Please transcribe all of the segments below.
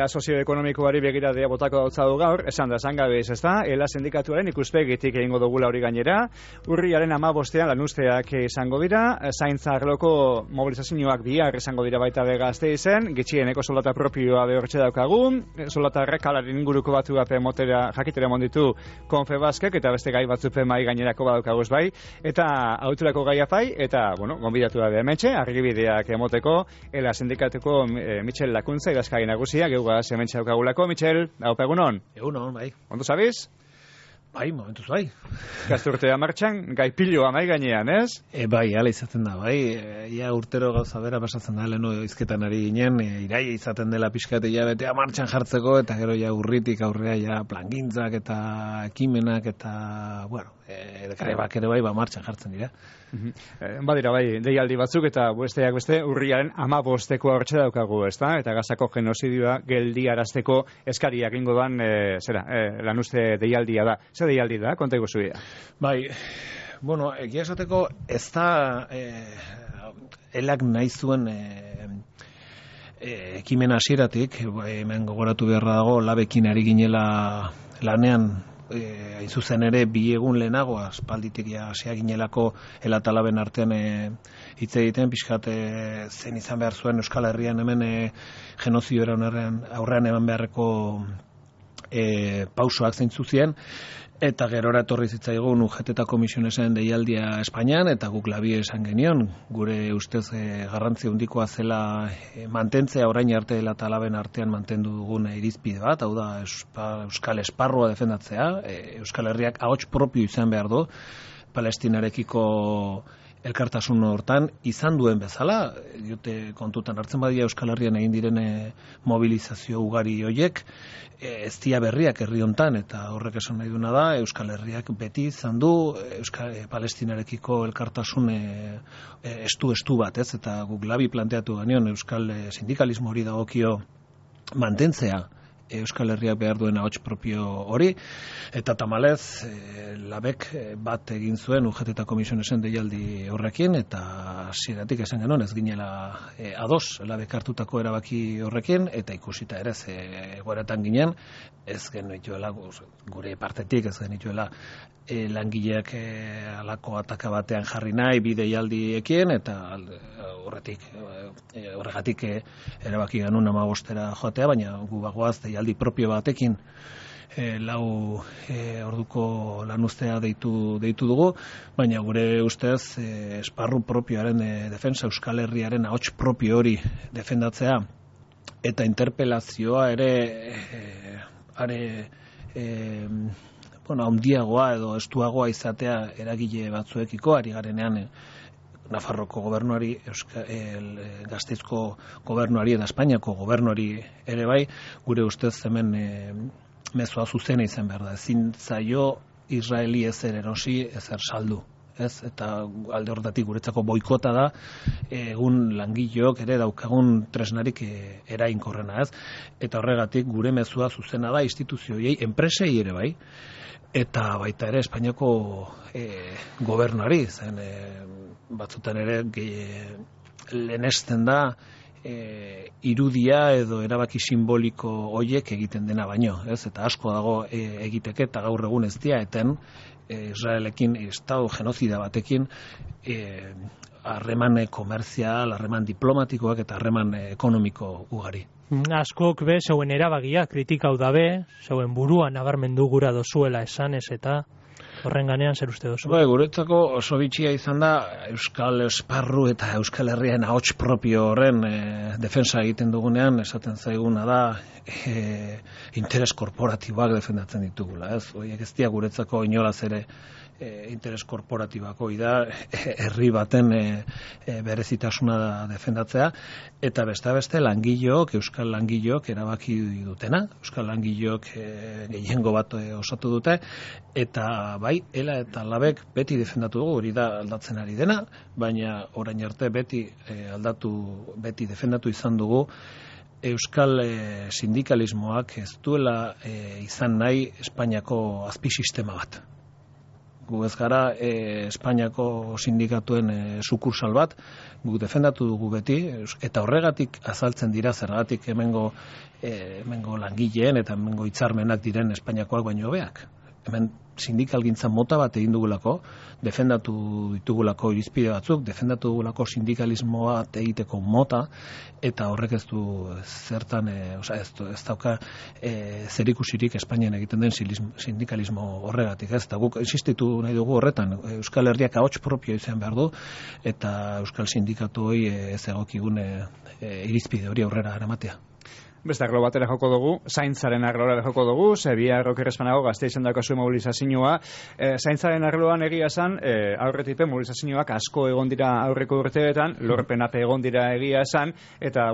egoera sozioekonomikoari begiradea botako dautza du gaur, esan gabe ez da, ELA sindikatuaren ikuspegitik egingo dugula hori gainera, urriaren 15ean lanuzteak izango dira, zaintza arloko mobilizazioak bihar izango dira baita be Gasteizen, gitxieneko soldata propioa behortxe daukagu, soldatarrek kalaren inguruko batu gape motera jakitera monditu Confebaskek, eta beste gai batzupen mai gainerako badaukagoz bai, eta auturako gaia pai, eta, gonbidatu da hementxe, argibideak emoteko, ELA sindikatuko Michel Lakuntza, idazkari nagusia, geugaz hementxe daukagulako. Michel, haupa egunon? Egunon, bai. Ondo zabiz? Bai, momentuz bai. Gazturtea martxan, gai piloa mai gainean, ez? Bai, ala izaten da, bai. Ia urtero gauza bera pasatzen da, lehenu izketan ari ginen, iraia izaten dela pixkat betea martxan jartzeko, eta gero ja urritik aurrea ja plangintzak eta ekimenak eta, bueno, grebak ere bai, martxan jartzen dira. Badira bai, deialdi batzuk eta besteak beste urriaren 15eko hortxe daukagu, ezta? Eta Gazako genozidioa geldiarazteko eskariak ingo doan, lanuzte deialdia da. Zer deialdi da, konta iguzuia? Bai, bueno, egia esateko ez da elak nahi zuen ekimen hasieratik, hemen gogoratu beharra dago, labekin ari ginela lanean, hain zuzen ere bi egun lehenago aspalditik hasia ginelako ELA eta laben artean hitz egiten pixkat zen izan behar zuen Euskal Herrian hemen genozidioaren aurrean eman beharreko pausoak zeintzu ziren, eta gerora etorri zitzaigun UGT eta komisionesen deialdia Espainian, eta guk labi esan genion, gure ustez garrantzi handikoa zela mantentzea orain arte ELA eta laben artean mantendu dugun irizpide bat, hau da Euskal Esparrua defendatzea, Euskal Herriak ahots propio izan behar du, Palestinarekiko elkartasun hortan izan duen bezala, diote kontutan hartzen badia Euskal Herrian egin diren mobilizazio ugari hoiek, ez dia berriak herri hontan, eta horrek esan nahi duna da, Euskal Herriak beti izan du Palestinarekiko elkartasun estu bat, ez? Eta guk labi planteatu genion Euskal sindikalismo hori dagokio mantentzea, Euskal Herriak behar duen ahots propio hori, eta tamalez labek bat egin zuen UGT eta komisionesen deialdi horrekin, eta hasieratik esan genuen ez ginela ados labek hartutako erabaki horrekin, eta ikusita ere egoeratan ginen, ez genituela gure partetik, ez genituela langileak alako ataka batean jarri nahi bi deialdiekin, eta horregatik erabaki genuen 15era joatea, baina gu bagoaz deialdi propio batekin lau orduko lanuztea deitu dugu, baina gure ustez esparru propioaren defensa, Euskal Herriaren ahots propio hori defendatzea, eta interpelazioa ere handiagoa edo estuagoa izatea eragile batzuekiko, ari garenean Nafarroko gobernuari, Gasteizko gobernuari eta Espainiako gobernuari ere bai, gure ustez hemen mezua zuzena izan behar da. Ezin zaio Israeli ezer erosi, ezer saldu. Ez? Eta alde horretatik guretzako boikota da, egun langileok ere daukagun tresnarik erainkorrena, ez? Eta horregatik gure mezua zuzena da instituzioei, enpresei ere bai, eta baita ere Espainiako gobernuari, zen batzutan ere lehenesten da irudia edo erabaki simboliko hoiek egiten dena baino, ez? Eta asko dago egiteke, eta gaur egun ez dira eten Israelekin, estado genozida batekin harreman komerzial, harreman diplomatikoak eta harreman ekonomiko ugari. Askok be, zeuen erabagia kritikau dabe, zeuen buruan nabarmendu gura dozuela esanez eta horren ganean zer uste dozu? Guretzako oso bitxia izan da Euskal Esparru eta Euskal Herrian ahots propio horren defensa egiten dugunean, esaten zaiguna da interes korporatiboak defendatzen ditugula. Horiek ez dira guretzako inolaz ere interes korporatibako da herri baten berezitasuna defendatzea, eta beste langileok, euskal langileok erabaki dutena, euskal langileok gehiengo bat osatu dute, eta bai, ELA eta labek beti defendatu dugu, hori da aldatzen ari dena, baina orain arte beti defendatu izan dugu euskal sindikalismoak ez duela izan nahi Espainiako azpisistema bat. gu ez gara Espainiako sindikatuen sukursal bat, guk defendatu dugu beti, eta horregatik azaltzen dira zergatik hemengo langileen eta hemengo hitzarmenak diren Espainiakoak baino hobeak. Hemen sindikalgintza mota bat egin dugulako, defendatu ditugulako irizpide batzuk, defendatu dugulako sindikalismoa egiteko mota, eta horrek ez du zertan, ez dauka zerikusirik Espainian egiten den sindikalismo horregatik. Ez da guk insistitu nahi dugu horretan, Euskal Herriak ahots propio izan behar du, eta Euskal Sindikatuoi ez egokigun irizpide hori aurrera eramatea. Beste arlo batera joko dugu, zaintzaren arloa joko dugu, zebia errokerrezpanago gazte izan dakazu mobilizazioa. Zaintzaren arloan egia esan, aurretipe mobilizazioak asko egon dira aurreko urteetan, lorpenape egon dira egia esan, eta,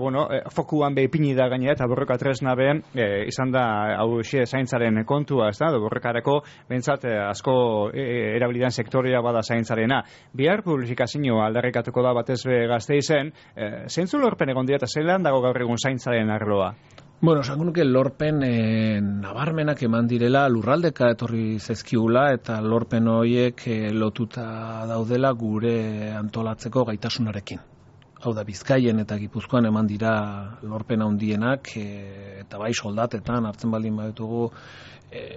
fokuan behipini da gainera, eta borroka tresna behen, izan da, hau zaintzaren kontua, ez da, borrokarako, bentsat, asko erabilidan sektorea bada zaintzarena. Bihar publifikazioa aldarrikatuko da batez be gazte izen, zeintzu lorpen egon dira, eta zelan dago gaur egun zaintzaren arloa? Bueno, esango nuke lorpen nabarmenak eman direla lurraldeka etorri zaizkigula eta lorpen horiek lotuta daudela gure antolatzeko gaitasunarekin. Hau da, Bizkaien eta Gipuzkoan eman dira lorpen handienak eta bai soldatetan, hartzen baldin baditugu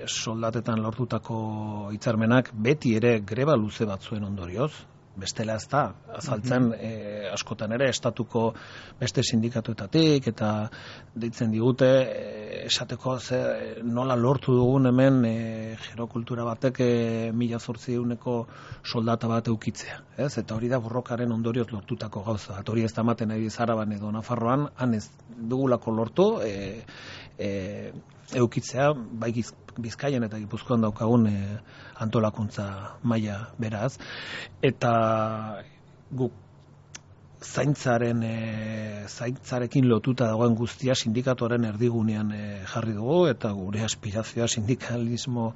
soldatetan lortutako hitzarmenak beti ere greba luze batzuen ondorioz. Bestela ez da, azaltzen askotan ere estatuko beste sindikatuetatik eta deitzen digute esateko nola lortu dugun hemen gerokultura batek 1800 soldata bat eukitzea. Ez? Eta hori da borrokaren ondorioz lortutako gauza. Hori ez da ematen ari Araban edo Nafarroan, han ez dugulako lortu eukitzea, bai Bizkaian eta Gipuzkoan daukagun antolakuntza maila beraz. Eta guk zaintzarekin lotuta dagoen guztia sindikatuaren erdigunean jarri dugu, eta gure aspirazioa sindikalismo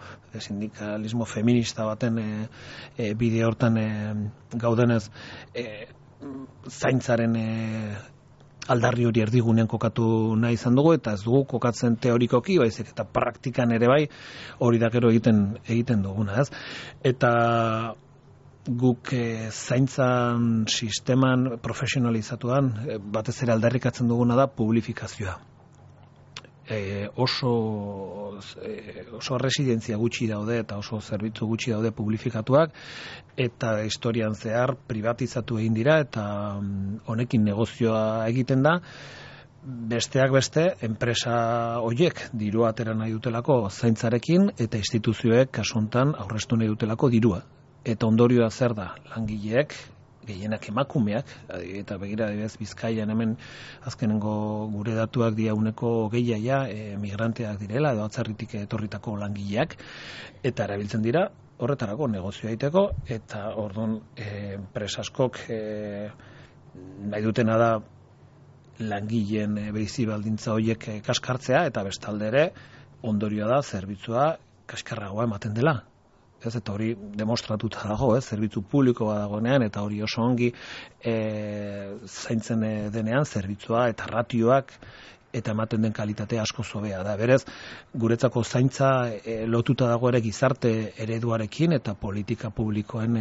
feminista baten bide hortan gaudenez zaintzaren aldarri hori erdigunean kokatu nahi izan dugu, eta ez dugu kokatzen teorikoki, baizik eta praktikan ere bai, hori da gero egiten duguna, ez? Eta guk zaintzan sisteman profesionalizatuan batez ere aldarrikatzen duguna da publifikazioa. Oso residentzia gutxi daude eta oso zerbitzu gutxi daude publifikatuak, eta historian zehar privatizatu egin dira eta honekin negozioa egiten da. Besteak beste, enpresa horiek dirua atera nahi dutelako zaintzarekin eta instituzioek kasu honetan aurreztu nahi dutelako dirua. Eta ondorioa zer da, langileek, gehienak emakumeak, eta begira Bizkaian hemen azkenengo gure datuak dira 20% migranteak direla, edo atzerritik etorritako langileak, eta erabiltzen dira horretarako negozioa egiteko, eta orduan enpresa askok nahi dutena da langileen bizi baldintza horiek kaskartzea, eta bestalde ere ondorioa da zerbitzua kaskarragoa ematen dela. Eta hori demostratuta dago, zerbitzu publikoa dagoenean, eta hori oso ongi zaintzen denean zerbitzua eta ratioak eta ematen den kalitatea asko hobea da. Berez, guretzako zaintza lotuta dago ere gizarte ereduarekin eta politika publikoen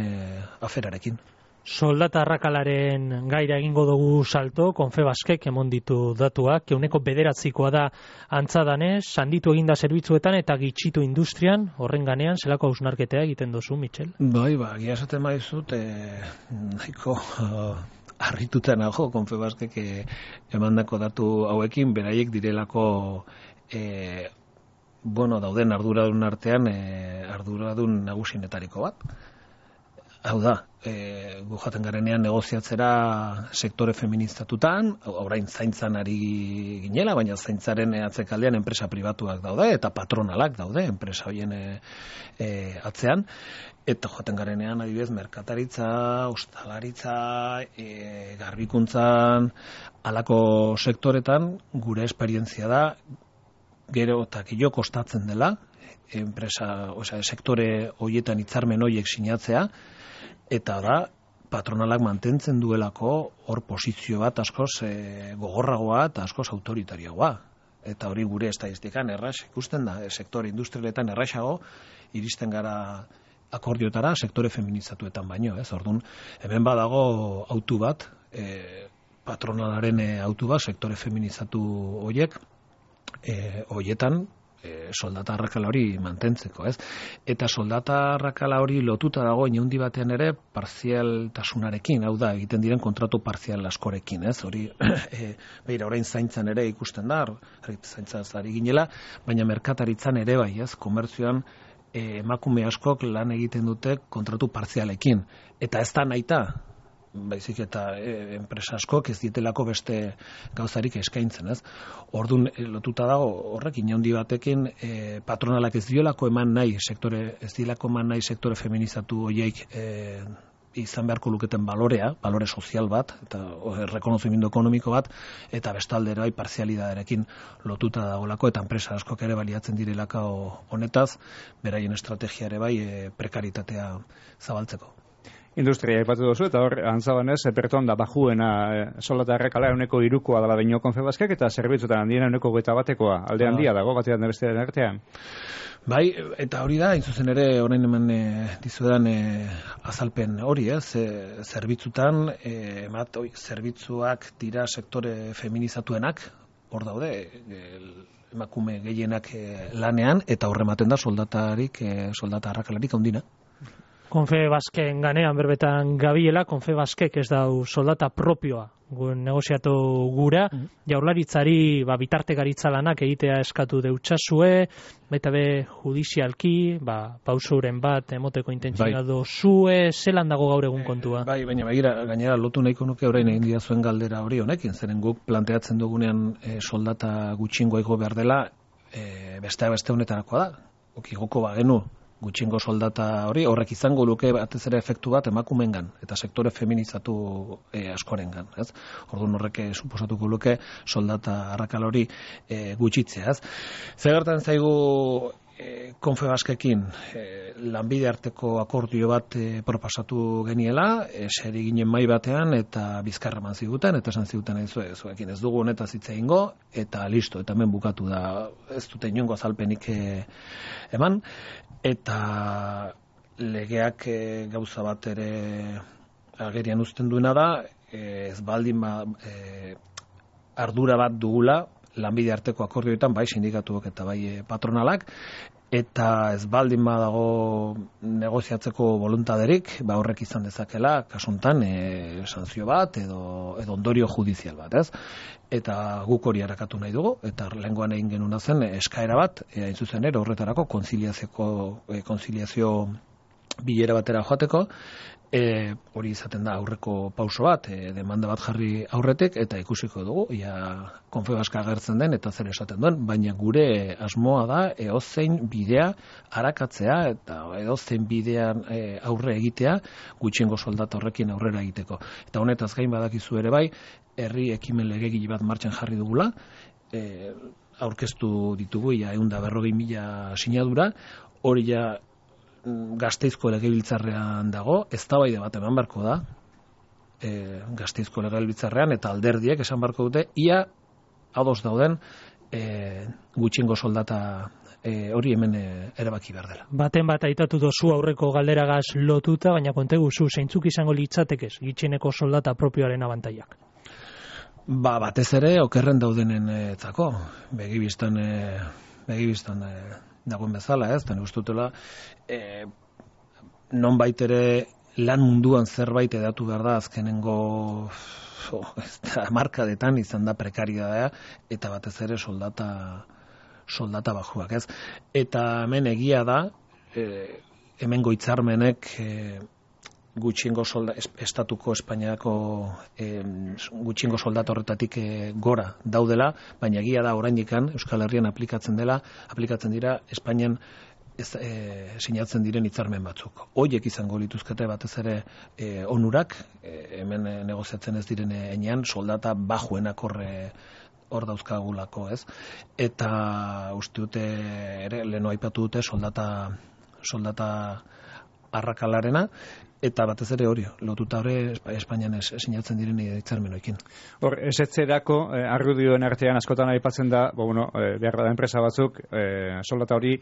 aferarekin. Soldata arrakalaren gaira egingo dugu salto, Confebaskek emon ditu datuak, 9% da antza danez, sanditu eginda zerbitzuetan eta gitxitu industrian, horren ganean, zelako hausnarketea egiten duzu, Michel? Bai, gia esaten maizut, nahiko harrituta nago Confebaskek emandako datu hauekin, beraiek direlako dauden arduradun artean arduradun nagusinetariko bat. Hau da, gu jaten garenean negoziatzera sektore feministatutan, orain zaintzan ari ginela, baina zaintzaren atzekaldean enpresa pribatuak daude, eta patronalak daude enpresa horien atzean, eta jaten garenean adibidez merkataritza, ostalaritza, garbikuntzan, halako sektoretan gure esperientzia da, gero eta gehiago kostatzen dela, sektore horietan hitzarmen horiek sinatzea, eta da, patronalak mantentzen duelako hor posizio bat askoz gogorragoa eta askoz autoritarioa. Eta hori gure estatistikan erraz ikusten da, sektore industrialetan errazago iristen gara akordiotara sektore feminizatuetan baino, ez? Orduan, hemen badago autu bat, patronalaren autu bat, sektore feminizatu horiek, horietan soldata arrakala hori mantentzeko, ez? Eta soldata arrakala hori lotuta dago inaundi batean ere partzialtasunarekin, hau da, egiten diren kontratu partzial askorekin, ez? Hori, beira, orain zaintzan ere ikusten da, zaintzaz ari ginela, baina merkataritzan ere bai, ez? Komertzioan emakume askok lan egiten dute kontratu partzialekin. Eta ez da nahita, baizik eta enpresa askok ez dietelako beste gauzarik eskaintzen, ez? Orduan lotuta dago horrek inaundi batekin patronalak ez diolako eman nahi sektore feminizatu horiek izan beharko luketen balore sozial bat, eta rekonozimendu ekonomiko bat, eta bestaldera parzialidaderekin lotuta dagoelako, eta enpresa askok ere baliatzen direlako honetaz, beraien estrategia ere bai prekaritatea zabaltzeko. Industria aipatu duzu, eta hor, antzabanez, perton da bajuena soldata arrakala 3%koa dela baino Confebaskek, eta zerbitzutan handiena 21%koa, alde handia dago batean bestearen artean. Bai, eta hori da, zuzen ere, orain hemen dizuedan azalpen hori, zerbitzutan, zerbitzuak dira sektore feminizatuenak, hor daude, emakume gehienak lanean, eta horrematen da soldata arrakalarik handina. Confebasken ganean berbetan gabiela, Confebaskek ez dau soldata propioa negoziatu gura, jaurlaritzari bitartekaritza lanak egitea eskatu deutsasue, baita be judizialki, pausuren bat emoteko intentzioa dozue, zelan dago gaur egun kontua? Bai, baina gainera lotu nahiko nuke orain egin didazuen galdera hori honekin, zeren guk planteatzen dugunean soldata gutxingo igo behar dela, beste honetarakoa da, okigoko bagenu, gutxingo soldata hori, horrek izango luke batez ere efektu bat emakumengan eta sektore feminizatu askorengan, ez? Orduan horrek suposatuko luke soldata arrakala hori gutxitzea, ez? Zer gertatzen zaigu Confebaskekin lanbide arteko akordio bat proposatu geniela, seri ginen mai batean eta bizkarra eman ziguten, eta esan ziguten zuekin ez dugu honetaz hitz egingo, eta listo, eta hemen bukatu da, ez dute inongo azalpenik eman, eta legeak gauza bat ere agerian uzten duena da, ez baldin ardura bat dugula, lanbide arteko akordioetan, bai sindikatuak eta bai patronalak, eta ez baldin badago negoziatzeko voluntaderik, horrek izan dezakela, kasuntan, sanzio bat edo ondorio judizial bat, ez? Eta guk hori harakatu nahi dugu, eta lehengoan egin genuna zen eskaera bat, hain zuzen ere horretarako konziliazio bilera batera joateko, hori izaten da aurreko pauso bat, demanda bat jarri aurretik, eta ikusiko dugu, Confebaska agertzen den, eta zer esaten duen, baina gure asmoa da, edozein bidea arakatzea, eta edozein bidean aurre egitea, gutxiengo soldata horrekin aurrera egiteko. Eta honetaz gain badakizu ere bai, herri ekimen legegile bat martxan jarri dugula, aurkeztu ditugu, 140.000 sinadura, hori Gasteizko legebiltzarrean dago, eztabaida bat eman barko da, Gasteizko legebiltzarrean, eta alderdiek esan barko dute, ia ados dauden gutxiengo soldata hori hemen erabaki behar dela. Baten bat aitatu dozu aurreko galderagaz lotuta, baina konteguzu, zeintzuk izango litzatekez gutxieneko soldata propioaren abantaiak? Batez ere, okerren daudenen etzako, begibistan dagoen bezala, ez, eta gustutela nonbait ere lan munduan zerbait edatu behar da azkenengo hamarkadetan izan da prekariedadea eta batez ere soldata bajuak, ez? Eta hemen egia da, hemengo hitzarmenek gutxiengo estatuko Espainiako gutxiengo soldata horretatik gora daudela, baina egia da oraindikan Euskal Herrian aplikatzen dira Espainian sinatzen diren hitzarmen batzuk. Horiek izango lituzkete batez ere onurak, hemen negoziatzen ez diren heinean soldata bajuenak hor dauzkagulako, ez? Eta uste dute ere leheno aipatu dute soldata arrakalarena, eta batez ere hori, lotuta hori Espainian sinatzen diren hitzarmenoekin. Hor, esetzerako argudioen artean askotan aipatzen da, behar da enpresa batzuk, soldata hori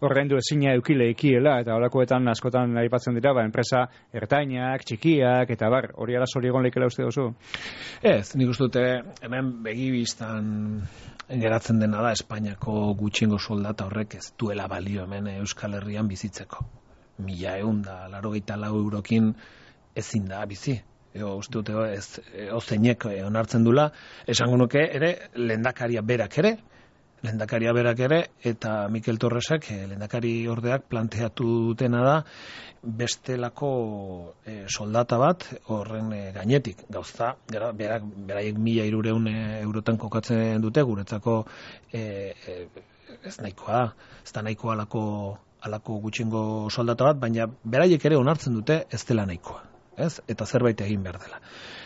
ordaindu ezina eukileekiela, eta holakoetan askotan aipatzen dira, enpresa ertainak, txikiak, eta hori arazo hori egon leikela uste duzu? Ez, nik uste dute, hemen begibistan geratzen dena da Espainiako gutxiengo soldata horrek ez duela balio hemen Euskal Herrian bizitzeko. 1.184 eurokin ezin da bizi. Uste dute ozeinek onartzen dula, esango nuke ere lehendakaria berak ere, eta Mikel Torresek lehendakari ordeak planteatu dutena da bestelako soldata bat horren gainetik. Gauza, beraiek 1.300 eurotan kokatzen dute, guretzako ez nahikoa, ez da nahikoa alako gutxingo soldata bat, baina beraiek ere onartzen dute ez dela nahikoa, ez? Eta zerbait egin behar dela.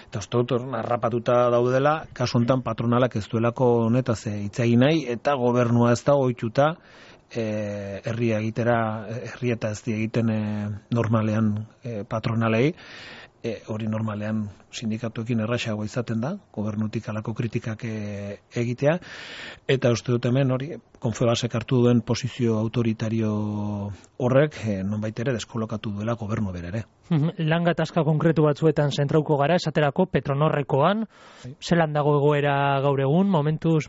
Eta uste dut harrapatuta daudela, kasu honetan patronalak ez duelako honetaz hitz egin nahi, eta gobernua ez da ohituta herria eta ez egiten normalean patronalei, hori normalean sindikatuekin erraxagoa izaten da, gobernutik alako kritikak egitea, eta uste dut hemen hori Confebaskek hartu duen posizio autoritario horrek nonbait ere deskolokatu duela gobernu bere ere. Lan gatazka konkretu batzuetan zentrauko gara, esaterako Petronorrekoan, zelan dago egoera gaur egun, momentuz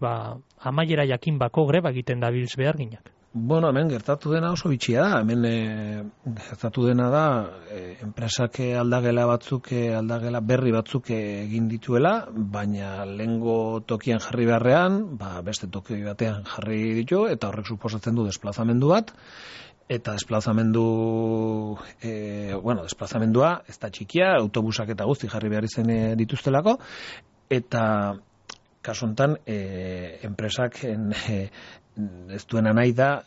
amaiera jakin bako greba egiten dabilz behar ginak? Hemen gertatu dena oso bitxia da. Hemen gertatu dena da enpresak aldagela berri batzuk egin dituela, baina lehengo tokian jarri beharrean, beste toki batean jarri ditu, eta horrek suposatzen du desplazamendu bat, eta desplazamendua ez da txikia, autobusak eta guzti jarri behar izen dituztelako, eta kasu honetan enpresak ez duena nahi da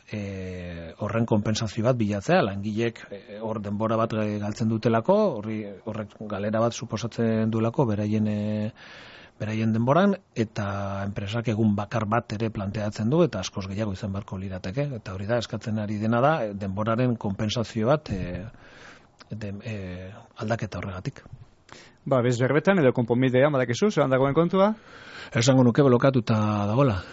horren konpentsazio bat bilatzea, langileek hor denbora bat galtzen dutelako, horrek galera bat suposatzen duelako beraien denboran, eta enpresak egun bakar bat ere planteatzen du, eta askoz gehiago izan beharko lirateke, eta hori da eskatzen ari dena da denboraren konpentsazio bat aldaketa horregatik. Bez berbetan edo konponbidea, badakizu, zelan dagoen kontua? Esango nuke blokatuta dagoela.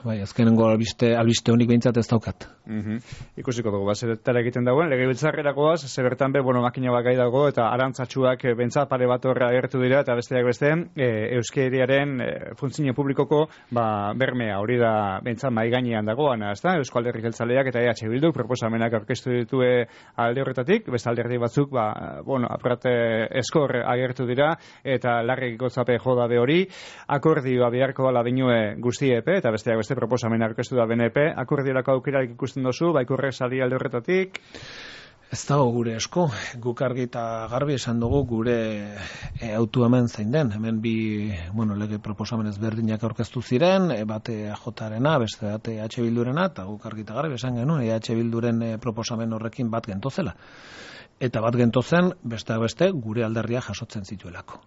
Azkenengo albiste honik behintzat ez daukat. Ikusiko dugu, zertara egiten dagoen, legebiltzarrerakoaz, zebertan makina bat gai dago, eta arantzatxuak bentsat pare bat horra agertu dira, eta besteak beste, euskeriaren funtzio publikoko bermea, hori da bentsat maigainean dagoana, ezta? Eusko Alderdi Jeltzaleak eta EH Bilduk proposamenak aurkeztu ditue alde horretatik, beste alderdi batzuk, apurate eskor agertu dira, eta larrik gotzape jodabe hori, akordioa beharko ala dinue guztiepe, eta besteak beste proposamen aurkeztu da BNP, akordiorako aukerarik ikusten dozu, baikurrek sali alde horretatik? Ez dago gure esko, guk argi eta garbi esan dugu gure autu hemen zein den, hemen bi lege proposamen ezberdinak aurkeztu ziren, bate EJ-arena, beste bate EH Bildurena, eta guk argi eta garbi esan genuen, EH Bilduren proposamen horrekin bat gentozela. Eta bat gentozen, besteak beste, gure alderria jasotzen zituelako.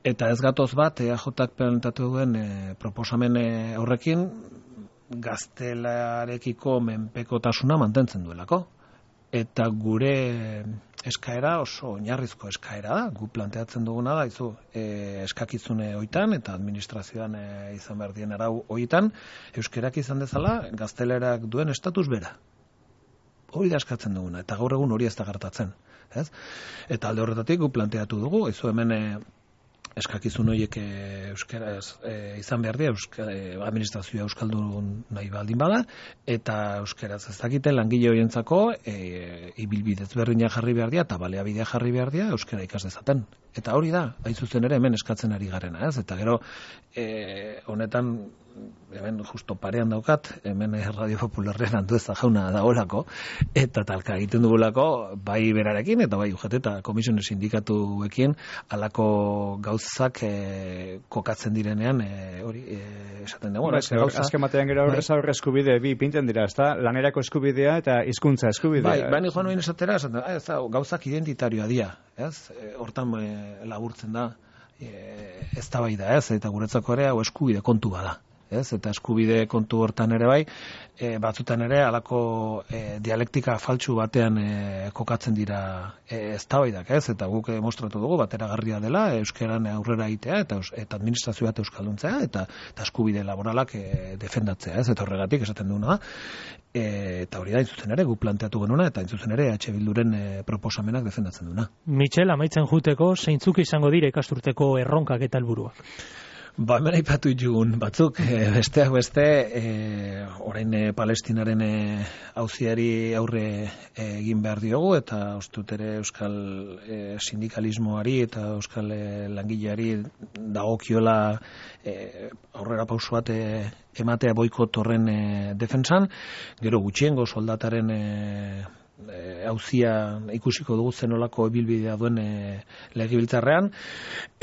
Eta ez gatoz bat, EAJak planteatu duen proposamen horrekin, gaztelarekiko menpekotasuna mantentzen duelako. Eta gure eskaera oso oinarrizko eskaera da, gu planteatzen duguna da, eskakizune hoitan eta administrazioan izan behar dien arau hoitan, euskerak izan dezala, gaztelerak duen estatus bera. Hori da eskatzen duguna, eta gaur egun hori ez da gertatzen. Eta alde horretatik gu planteatu dugu, hemen eskakizun horiek euskaraz izan behar dira, administrazioa euskaldun nahi baldin bada, eta euskaraz ez dakite langile horientzako ibilbide ezberdina jarri behar dira, eta baliabidea jarri behar dira, euskara ikas dezaten. Eta hori da, hain zuzen ere hemen eskatzen ari garena, eta gero honetan hemen justo parean daukat, hemen Radio Popularren Andueza jauna dagoelako, eta talka egiten dugulako, bai berarekin, eta bai UGT eta komisiones sindikatuekin, alako gauzak kokatzen direnean, hori esaten dugu. Azken batean gero aurre eskubide bi pinten dira, ezta? Lanerako eskubidea eta hizkuntza eskubidea. Bai, joan oin esatera, gauzak identitarioa dira, hortan laburtzen da, ez da bai da, eta guretzako ere hau eskubide kontu bada. ez? Eta eskubide kontu hortan ere bai, batzutan ere halako dialektika faltsu batean kokatzen dira eztabaidak, ez? Eta guk mostratu dugu bateragarria dela euskeran aurrera egitea eta administrazio bat euskalduntzea eta eskubide laboralak defendatzea, ez? Eta horregatik esaten duguna da. Eta hori da, intzuzen ere, guk planteatu genuna, eta intzuzen ere EH Bilduren proposamenak defendatzen duna. Michel, amaitzen juteko, zeintzuk izango dire ikasturteko erronkak eta helburuak? Hemen aipatu jugun batzuk, besteak beste, orain Palestinaren auziari aurre egin behar diogu, eta ustut ere euskal sindikalismoari eta euskal langileari dagokiola aurrera pauso bat ematea boikot horren defentsan, gero gutxiengo soldataren auzia ikusiko dugu zenolako ibilbidea duen legebiltzarrean,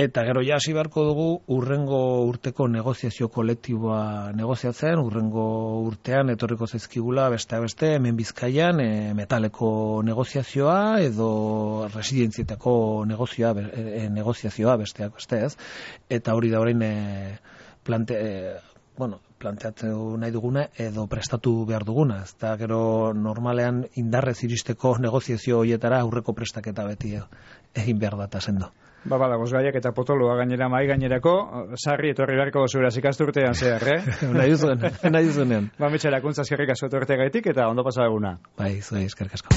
eta gero ja hasi beharko dugu urrengo urteko negoziazio kolektiboa negoziatzen, urrengo urtean etorriko zaizkigula besteak beste hemen Bizkaian metaleko negoziazioa edo residentzietako negoziazioa besteak beste, ez? Eta hori da orain planteatu nahi duguna edo prestatu behar duguna. Ez da gero normalean indarrez iristeko negoziazio horietara aurreko prestaketa beti egin behar data sendo. Badagoz gaiak eta potoloa gainera mai gainerako, sarri etorri beharko zuraz ikasturtean zehar, nahi duzunean. Mitxerakuntza eskerrik asko etorteagaitik eta ondo pasa eguna. Bai, zuei eskerrik asko.